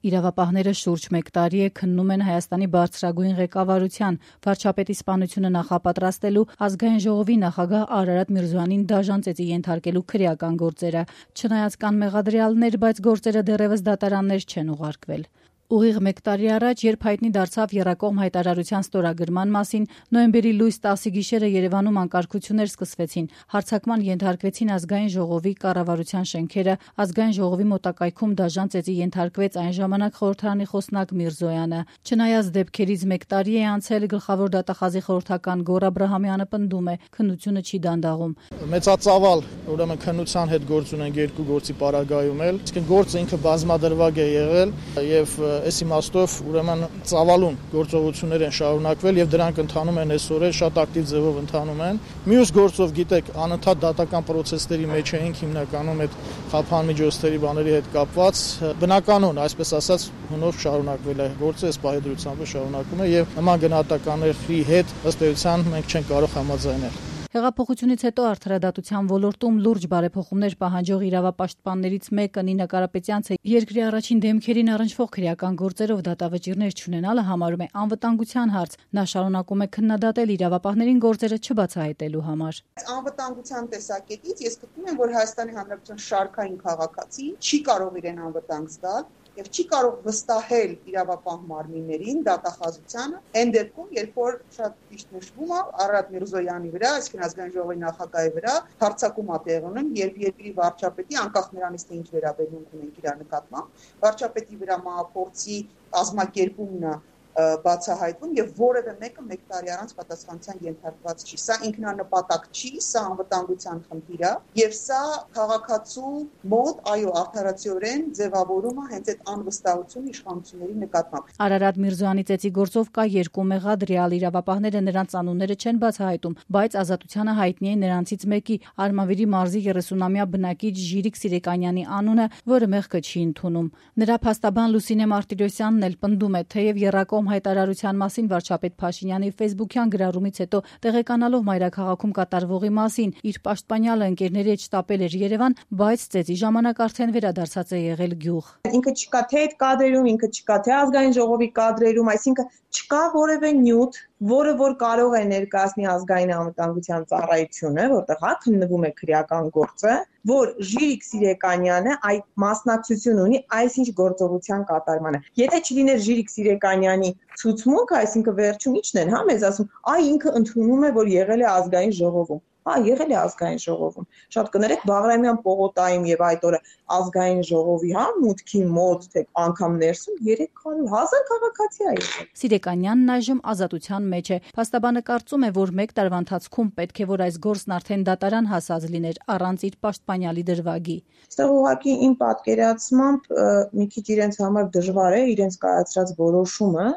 Իրավապահները շուրջ 1 տարի է քննում են Հայաստանի բարձրագույն ղեկավարության վարչապետի սպանությունը նախապատրաստելու ազգային ժողովի նախագահ Արարատ Միրզոյանին դաժան ծեծի ենթարկելու քրեական գործերը, չնայած կան մեղադրյալներ, բայց գործերը դեռևս դատարաններ չեն ուղարկվել։ Ուղիղ 1 տարի առաջ, երբ հայտնի դարձավ եռակողմ հայտարարության ստորագրման մասին, նոյեմբերի լույս 10-ի գիշերը Երևանում անկարգություններ սկսվեցին, հարձակման ենթարկվեցին ազգային ժողովի կառավարության շենքերը, ազգային ժողովի մոտակայքում դաժան ծեծի ենթարկվեց այն ժամանակ խորհրդարանի խոսնակ Միրզոյանը։ Չնայած դեպքերից 1 տարի է անցել, գլխավոր դատախազի խորհրդական Գոռ Աբրահամյանը պնդում է, քննությունը չի դանդաղում։ Մեծածավալ, ուրեմն քննության հետ գործ ունենք երկու գործի պարագայում էլ, իսկ գործը ինքը բազմադրվակ է եղել եւ այս իմաստով ուրեմն ծավալուն գործողություններ են շարունակվել եւ դրանք ընթանում են այսօր շատ ակտիվ ձևով ընթանում են։ Մյուս գործով գիտեք, անընդհատ դատական process-ների մեջ էինք հիմնականում այդ խափան միջոցների բաների հետ կապված բնականon, այսպես ասած, հունով շարունակվել է գործը, այս պահեդրությամբ շարունակում է եւ նման գնահատականների հետ ըստ էության մենք չենք կարող համաձայնել։ Հեղափոխությունից հետո արդարադատության ոլորտում լուրջ բարեփոխումներ պահանջող իրավապաշտպաններից մեկը Նինա Կարապետյանցը երկրի առաջին դեմքերին առնչվող քրեական գործերով դատավճիռներ չունենալը համարում է անվտանգության հարց։ Նա շարունակում է քննադատել իրավապահներին գործերը չբացահայտելու համար։ Անվտանգության տեսակետից ես գտնում եմ, որ Հայաստանի Հանրապետության շարքային քաղաքացի չի կարող իրեն անվտանգ զգալ եւ չի կարող վստահել իրավապահ մարմիններին, դատախազությանը, այն դեպքում, երբ որ շատ ճիշտ նշվում է Արարատ Միրզոյանի վրա, այսինքն ազգային ժողովի նախագահի վրա հարձակում է տեղի ունենում, երբ երկրի վարչապետի, անկախ նրանից թե ինչ վերաբերմունք ունենք իր նկատմամբ, վարչապետի վրա մահափորձի կազմակերպումն է բացահայտվում եւ որևէ մեկը 1 տարի առանց պատասխանության ենթարկված չի։ Սա ինքնանպատակ չի, սա անվտանգության խնդիր է եւ սա քաղաքացու մոտ, այո, արդարացիորեն ձևավորում է հենց այդ անվստահությունը իշխանությունների նկատմամբ։ Արարատ Միրզոյանի ծեծի գործով կա 2 մեղադրյալ, իրավապահները նրանց անունները չեն բացահայտում, բայց ազատությանը հայտնի է նրանցից մեկի Արմավիրի մարզի 30-ամյա բնակիչ Ժիրիկ Սիրեկանյանի անունը, որը մեղքը չի ընդունում։ Նրա փաստաբան Լուսինե Մարտիրոսյանն էլ պնդում է, թեև եռակողմ հայտարարության մասին վարչապետ Փաշինյանի ֆեյսբուքյան գրառումից հետո տեղեկանալով մայրաքաղաքում կատարվողի մասին իր պաշտպանյալը ընկերների հետ շտապել էր Երևան, բայց ծեծի ժամանակ արդեն վերադարձած է եղել գյուղ։ Ինքը չկա թե այդ կադրերում, ինքը չկա թե ազգային ժողովի կադրերում, այսինքն չկա որևէ նյութ, որը որ կարող է ներկայացնի ազգային անվտանգության ծառայությունը, որտեղ հա քննվում է քրեական գործը, որ Ժիրիկ Սիրեկանյանը այդ մասնակցություն ունի այսինչ գործողության կատարմանը։ Եթե չլիներ Ժիրիկ Սիրեկանյանի ցուցմունքը, այսինքն վերջում ի՞նչն են, հա, մեզ ասում, ինքը ընդունում է, որ եղել է ազգային ժողովում։ Եղել է ազգային ժողովում։ Շատ կներեք Բաղրամյան պողոտայում եւ այդ օրը ազգային ժողովի, մուտքի մոտ, թե անգամ ներսում 300,000 քաղաքացի է եղել։ Սիրեկանյանն այժմ ազատության մեջ է։ Փաստաբանը կարծում է, որ 1 տարվա ընթացքում պետք է որ այս գործն արդեն դատարան հասած լիներ առանց իր պաշտպանյալի դրվագի։ Այստեղ ուղղակի իմ պատկերացմամբ մի քիչ իրենց համար դժվար է իրենց կայացրած որոշումը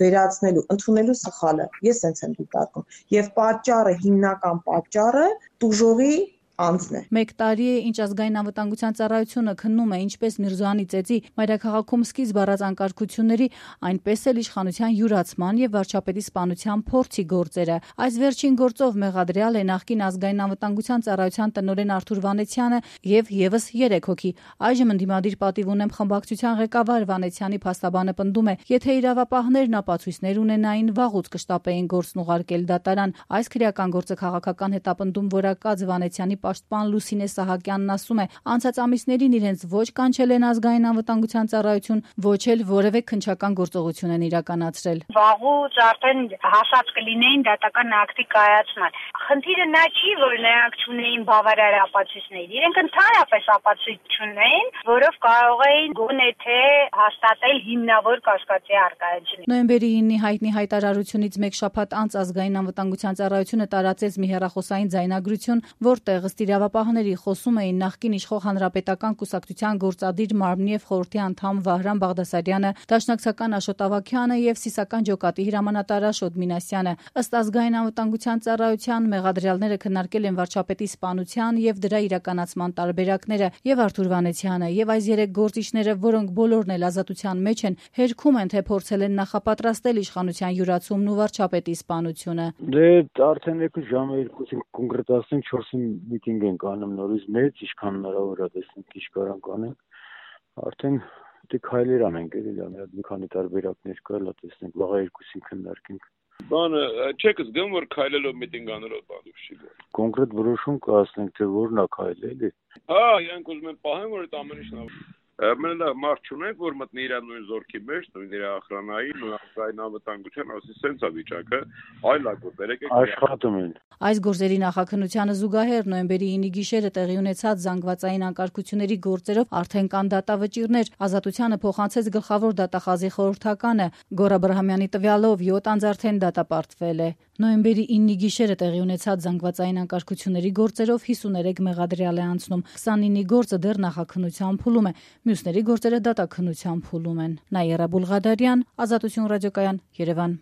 վերացնելու, ընդունելու սխալը։ Ես sense եմ դիտարկում։ Եվ պատճառը, հիմնական պատճառը տուժողի անձն է։ 1 տարի է, ինչ ազգային անվտանգության ծառայությունը քննում է ինչպես Միրզոյանի ծեծի մայրաքաղաքում սկիզբ առած անկարգությունների, այնպես էլ իշխանության յուրացման եւ վարչապետի սպանության փորձի գործերը։ Այս վերջին գործով մեղադրյալ է նախկին ազգային անվտանգության ծառայության տնօրեն Արթուր Վանեցյանը եւ եւս 3 հոգի։ Այժմ ընդդիմադիր պատիվ ունեմ խմբակցության ղեկավար Վանեցյանի փաստաբանը պնդում է, եթե իրավապահներն ապացույցներ ունենային, վաղուց կշտապեին գործն ուղարկել դատարան։ Այս քրեական գործը քաղաքական հետապնդում որակած Վանեցյանի պաշտպան Լուսինե Սահակյանն ասում է, անցած ամիսներին իրենց ոչ կանչել են ազգային անվտանգության ծառայություն, ոչ էլ որևէ քննչական գործողություն են իրականացրել։ Վաղուց արդեն հասած կլինեին դատական ակտի կայացման։ Խնդիրը նա չի, որ նրանք չունեին բավարար ապացույցներ։ Իրենք ընդհանրապես ապացույց չունեին, որով կարող էին գոնե թե հաստատել հիմնավոր կասկածի առկայությունը։ Նոյեմբերի 9-ի հայտնի հայտարարությունից 1 շաբաթ անց ազգային անվտանգության ծառայությունը տարածեց մի հեռախոսային ձայնագրություն, որտեղ ըստ իրավապահների խոսում էին նախկին իշխող հանրապետական կուսակցության գործադիր մարմնի եւ խորհրդի անդամ Վահրամ Բաղդասարյանը, դաշնակցական Աշոտ Ավագյանը եւ սիսական ջոկատի հրամանատար Աշոտ Մինասյանը։ Ըստ ազգային անվտանգության ծառայության մեղադրյալները քննարկել են վարչապետի սպանության եւ դրա իրականացման տարբերակները, եւ Արթուր Վանեցյանը եւ այս 3 գործիչները, որոնք բոլորն էլ ազատության մեջ են, հերքում են, թե փորձել են նախապատրաստել իշխանության յուրացումն ու վարչապետի սպանությունը։ Դե արդեն եկու ժամը 2-ին կոնկրետացնենք 4-ին միտինգ ենք անում նորից մեծ, ինչքան հնարավոր է տեսնենք ինչ կարանք անենք։ Արդեն Դե քայլեր անենք, էլի մի քանի տարբերակներ կա, լա տեսնենք, վաղը երկուսին քննարկենք։ Բանը չեք զգում, որ քայլելով միտինգ անելով բանուշ չի գոր։ Կոնկրետ որոշում կհասնենք, թե որն է քայլել։ Հա, իրանք ուզում են պահեն, որ այդ ամեն ինչն Մենք մարդ չունենք, որ մտնի իր նույն զորքի մեջ, նույն իր ախրանայի, նույն ազգային անվտանգության, ասի սենց է վիճակը, այլ ակորդ եկեք աշխատում են։ Այս գործերի նախաքննությանը զուգահեռ նոյեմբերի 9-ի գիշերը տեղի ունեցած զանգվածային անկարգությունների գործերով արդեն կան դատավճիռներ։ Ազատությանը փոխանցեց գլխավոր դատախազի խորհրդականը։ Գոռ Աբրահամյանի տվյալով 7 անձ արդեն դատապարտվել է։ Նոյեմբերի 9-ի գիշերը տեղի ունեցած զանգվածային անկարգությունների գործերով 53 մեղադրյալ է անցնում։ 29-ի գործը դեռ նախաքննության փուլում է։ Մյուսների գործերը դատաքննության փուլում են։ Նաիրա Բուլղադարյան, Ազատություն ռադիոկայան, Երևան։